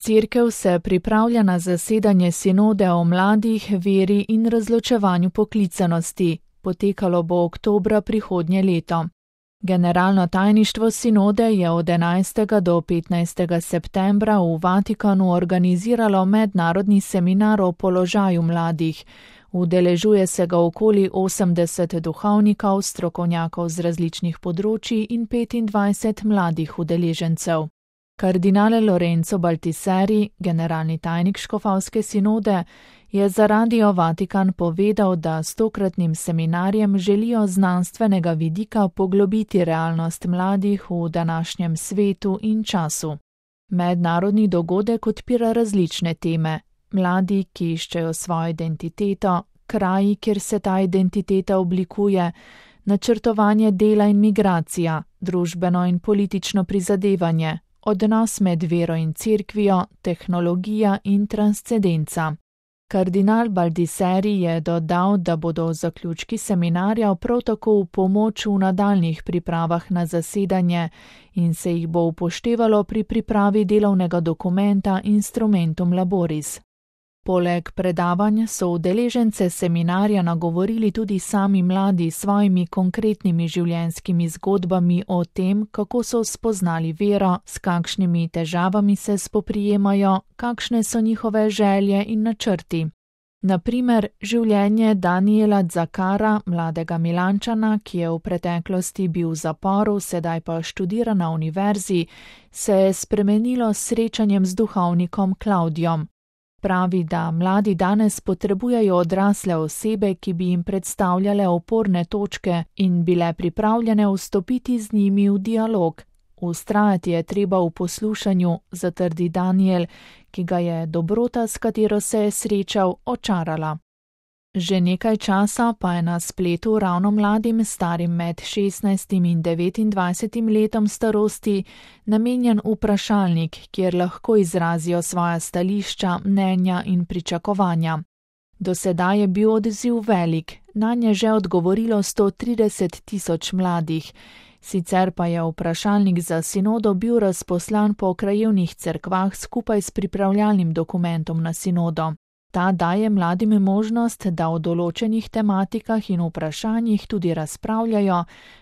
Cerkev se pripravlja na zasedanje sinode o mladih, veri in razločevanju poklicanosti. Potekalo bo oktobra prihodnje leto. Generalno tajništvo sinode je od 11. do 15. septembra v Vatikanu organiziralo mednarodni seminar o položaju mladih. Udeležuje se ga okoli 80 duhovnikov, strokovnjakov z različnih področij in 25 mladih udeležencev. Kardinal Lorenzo Baltiseri, generalni tajnik škofovske sinode, je za Radio Vatikan povedal, da s tokratnim seminarjem želijo znanstvenega vidika poglobiti realnost mladih v današnjem svetu in času. Mednarodni dogodek odpira različne teme. Mladi, ki iščejo svojo identiteto, kraji, kjer se ta identiteta oblikuje, načrtovanje dela in migracija, družbeno in politično prizadevanje, odnos med vero in cerkvijo, tehnologija in transcendenca. Kardinal Baltiseri je dodal, da bodo zaključki seminarja prav tako v pomoč v nadaljnjih pripravah na zasedanje in se jih bo upoštevalo pri pripravi delovnega dokumenta Instrumentum Laboris. Poleg predavanj so udeležence seminarja nagovorili tudi sami mladi s svojimi konkretnimi življenjskimi zgodbami o tem, kako so spoznali vero, s kakšnimi težavami se spoprijemajo, kakšne so njihove želje in načrti. Na primer, življenje Daniela Zakara, mladega Milančana, ki je v preteklosti bil v zaporu, sedaj pa študira na univerzi, se je spremenilo s srečanjem z duhovnikom Klavdijom. Pravi, da mladi danes potrebujejo odrasle osebe, ki bi jim predstavljale oporne točke in bile pripravljene vstopiti z njimi v dialog. Vztrajati je treba v poslušanju, zatrdi Daniel, ki ga je dobrota, s katero se je srečal, očarala. Že nekaj časa pa je na spletu ravno mladim, starim med 16 in 29 letom starosti, namenjen vprašalnik, kjer lahko izrazijo svoja stališča, mnenja in pričakovanja. Do sedaj je bil odziv velik, nanje že odgovorilo 130.000 mladih. Sicer pa je vprašalnik za sinodo bil razposlan po krajevnih cerkvah skupaj s pripravljalnim dokumentom na sinodo. Ta daje mladim možnost, da o določenih tematikah in vprašanjih tudi razpravljajo,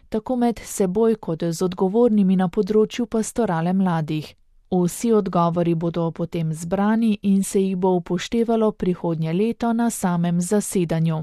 tako med seboj kot z odgovornimi na področju pastorale mladih. Vsi odgovori bodo potem zbrani in se jih bo upoštevalo prihodnje leto na samem zasedanju.